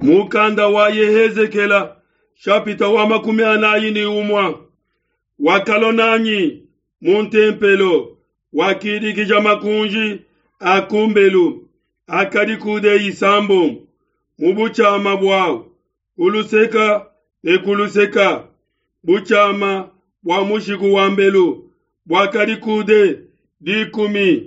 Mukanda wa Yehezekela shapita wa 41. Wakalua nanyi mu ntempelo, wakidikija makunji a kumbelu akadi kude isambombo mu butshiama buawu ku luseka ne ku luseka. Butshiama bua mushiku wa mbelu buakadi kude 10.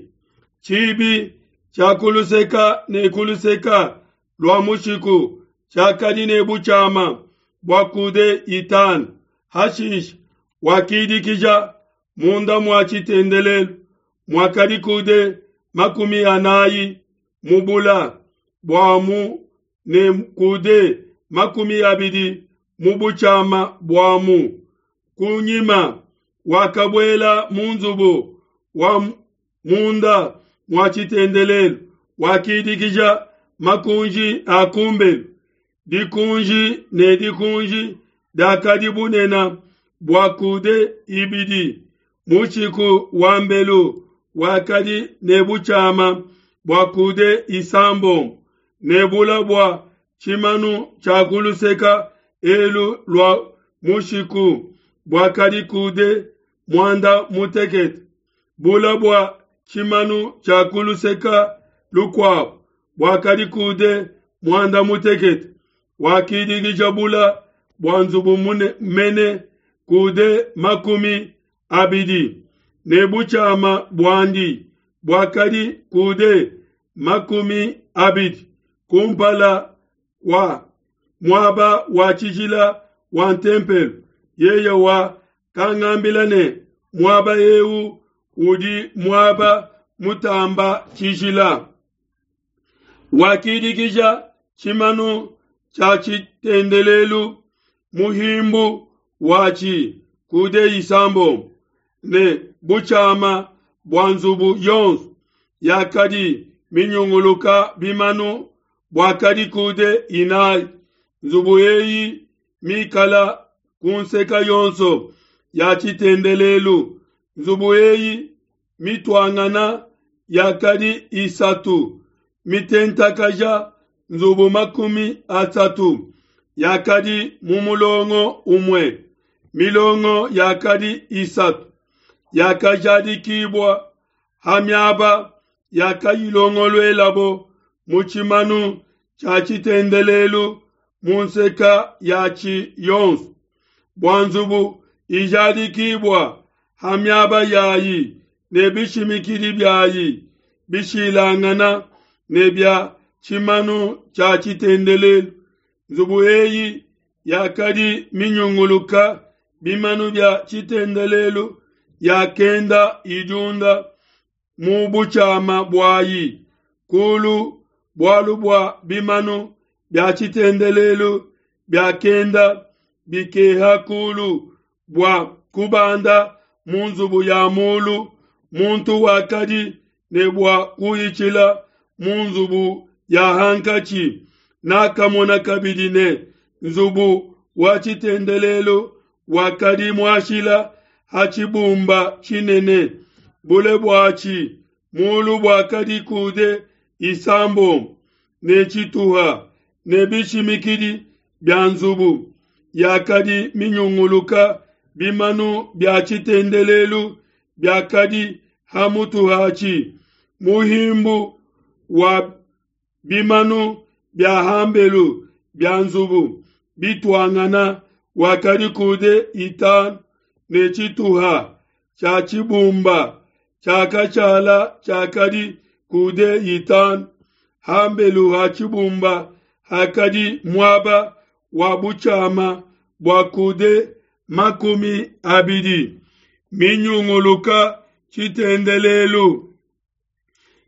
Tshibi tshia ku luseka ne ku luseka lua mushiku tshiakadi ne butshiama bua kude 5. Hashishe wakidikija munda mua tshitendelelu muakadi kude 40 mu bula buamu ne kude 20 mu butshiama buamu. Kunyima wakabuela mu nzubu wa munda mua tshitendelelu, wakidikija makunji a kumbelu. Dikunji ne dikunji diakadi bunene bua kude 2. Mushiku wa mbelu wakadi ne butshiama bua kude 6 ne bula bua tshimanu tshia ku luseka elu lua mushiku buakadi kude 18. Bula bua tshimanu tshia ku luseka lukuabu buakadi kude 18. Wakidikija bula bua nzubu mene kude 20 ne butshiama buandi buakadi kude 20 kumpala kua muaba wa tshijila wa ntempelo. Yeye wakangambila ne, muaba eu udi muaba mutamba tshijila. Wakidikija tshimanu tshia tshitendelelu muhimbu watshi kude 6 ne butshiama bua nzubu yonso yakadi minyunguluka bimanu buakadi kude 4. Nzubu eyi mikala ku nseka yonso ya tshitendelelu. Nzubu eyi mituangana yakadi 3 mitentakaja nzubu 30 yakadi mu mulongo umue. Milongo yakadi 3 yakajadikibua ha miaba yakayilongoluelabo mu tshimanu tshia tshitendelelu mu nseka yatshi yonso. Bua nzubu ijadikibua ha miaba yayi ne bishimikidi biayi bishilangana ne bia tshimanu tshia tshitendelelu. Nzubu eyi yakadi minyunguluka bimanu bia tshitendelelu yakenda idiunda mu butshiama buayi kulu, bualu bua bimanu bia tshitendelelu biakenda bikeha kulu bua kubanda mu nzubu ya mulu. Muntu wakadi ne bua kuhitshila mu nzubu ya hankatshi. Nakamona kabidi ne nzubu wa tshitendelelu wakadi muashila ha tshibumba tshinene, bule buatshi mulu buakadi kude 6 ne tshituha, ne bishimikidi bia nzubu yakadi minyunguluka bimanu bia tshitendelelu biakadi ha mutu hatshi. Muhimbu wa bimanu bia hambelu bia nzubu bituangana wakadi kude 5 ne tshituha tshia tshibumba tshiakashala tshiakadi kude 5. Hambelu ha tshibumba hakadi muaba wa butshiama bua kude 20 minyunguluka tshitendelelu.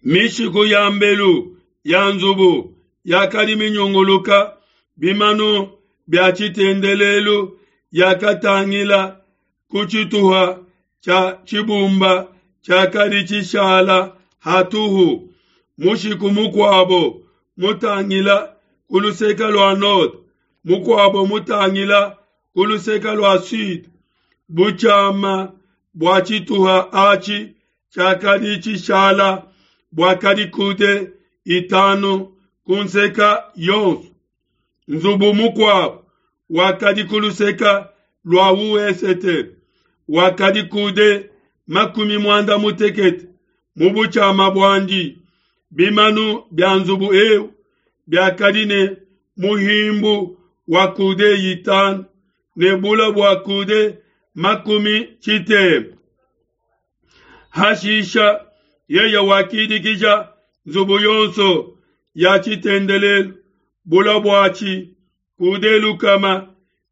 Mishiku ya mbelu ya nzubu yakadi minyunguluka bimanu bia tshitendelelu yakatangila ku tshituha tshia tshibumba tshiakadi tshishala hatuhu. Mushiku mukuabo mutangila ku luseke lua nord, mukuabo mutangila ku luseke lua sud. Butshiama bua tshituha atshi tshiakadi tshishala buakadi kude 5 ku nseka yonso. Nzubu mukuabu wakadi ku luseke lua wesete wakadi coude 60 mu butshiama buandi. Bimanu bia nzubu eu biakadi ne muhimbu wa coude 5 ne bule bua coude 60. Hashisha yeye wakidikija nzubu yonso ya tshitendelelu bule buatshi coude 100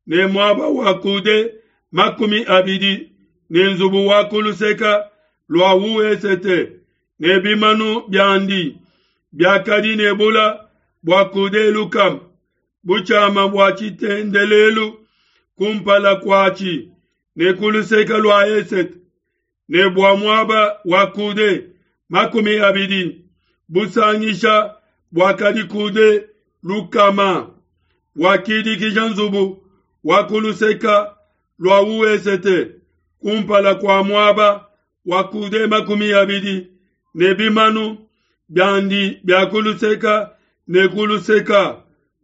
ne muaba wa coude 20 ne nzubu wa ku luseke lua wesete ne bimanu biandi biakadi ne bule bua coude 100 butshiama bua tshitendelelu kumpala kuatshi ne ku luseke lua esete ne bua muaba wa coude 20 busangisha buakadi coude 100. Wakidikija nzubu wa ku luseke lua wesete kumpala kua muaba wa coude 20 ne bimanu biandi bia ku luseke ne ku luseke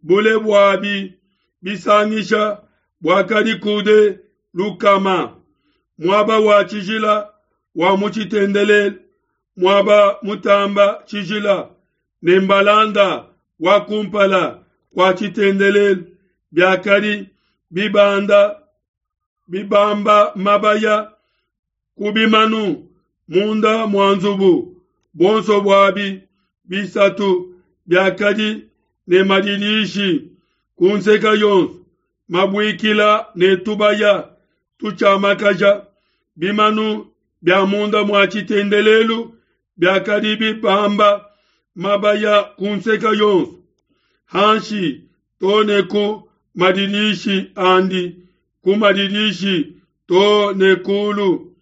bule buabi bisangisha buakadi coude 100. Muaba wa tshijila wa mu tshitendelelu, muaba mutamba tshijila ne mbalanda wa kumpala kwa tshitendelelu biakadi bibanda bibamba mabaya ku bimanu munda mua nzubu. Buonso buabi bisatu biakadi ne madidishi ku nseke yonso mabuikila ne tubaya tutshiamakaja. Bimanu bia munda mua tshitendelelu biakadi bibamba mabaya ku nseke yonso hanshi to ne ku madidishi andi, ku madidishi to ne kulu,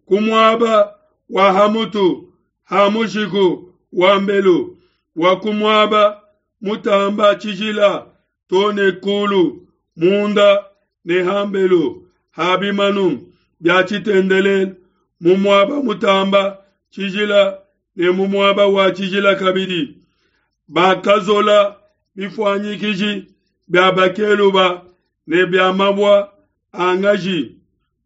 ku muaba wa hamutu ha mushiku wa mbelu wa ku muaba mutamba tshijila to ne kulu, munda ne hambelu ha bimanu bia tshitendelelu, mu muaba mutamba tshijila ne mu muaba wa tshijila kabidi. Bakazola bifuanyikiji bia bakeluba ne bia mabua a ngaji.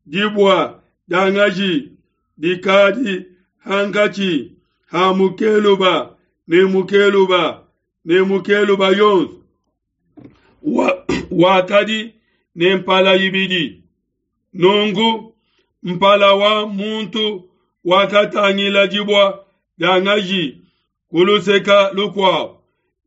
Dibua dia ngaji dikadi hankatshi ha mukeluba ne mukeluba ne mukeluba yonso wakadi ne mpala ibidi. Nunku mpala wa muntu wakatangila dibua dia ngaji ku luseke lukuabu,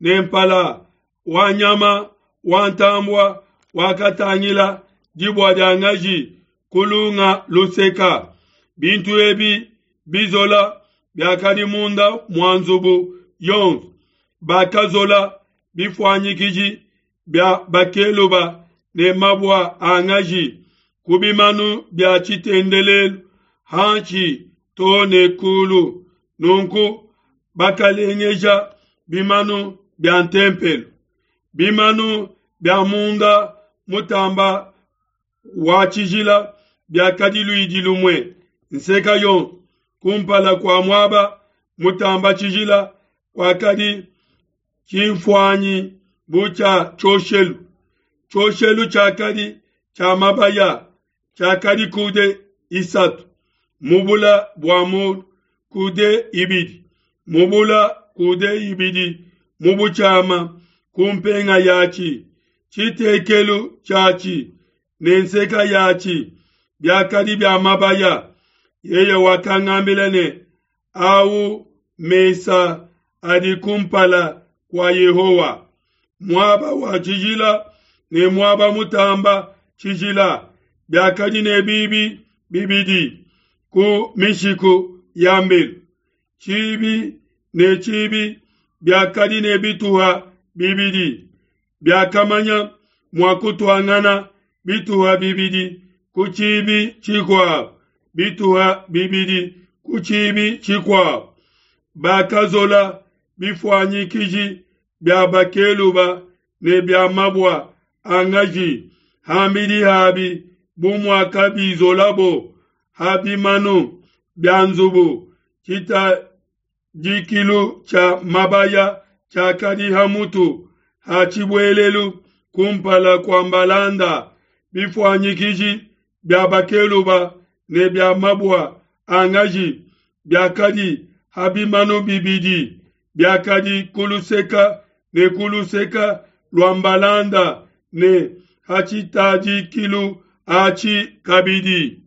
ne mpala wa nyama wa ntambua wakatangila dibua dia ngaji ku lunga luseka. Bintu ebi bizola biakadi munda mua nzubu yonso. Bakazola bifuanyikiji bia bakeluba ne mabua a ngaji ku bimanu bia tshitendelelu hanshi to ne kulu. Nunku bakalengeja bimanu bia ntempelo, bimanu bia munda mutamba wa tshijila biakadi luidi lumue nseka yonso. Kumpala kua muaba mutamba tshijila kwakadi tshimfuanyi bu tshia tshioshelu. Tshioshelu tshiakadi tshia mabaya, tshiakadi coude 3 mu bula bua mulu, coude 2 mu bula, coude 2 mu butshiama ku mpenga yatshi. Tshitekelu tshiatshi ne nseka yatshi biakadi bia mabaya. Yeye wakangambila ne, au mesa adi kumpala kua Yehowa, muaba wa tshijila ne muaba mutamba tshijila, biakadi ne bibi bibidi ku mishiku ya mbelu. Tshibi ne tshibi biakadi ne bituha bibidi, biakamanya mua kutuangana bituha bibidi ku tshibi tshikuabu, bituha bibidi ku tshibi tshikuabu. Bakazola bifuanyikiji bia bakeluba ne bia mabua a ngaji hambidi habi bu muakabizolabo ha bimanu bia nzubu. Tshitadikilu tshia mabaya tshiakadi ha mutu ha tshibuelelu. kumpala kua mbalanda, bifuanyikiji bia bakeluba ne bia mabua a ngaji biakadi ha bimanu bibidi, biakadi ku luseke ne ku luseke lua mbalanda ne ha tshitadikilu atshi kabidi.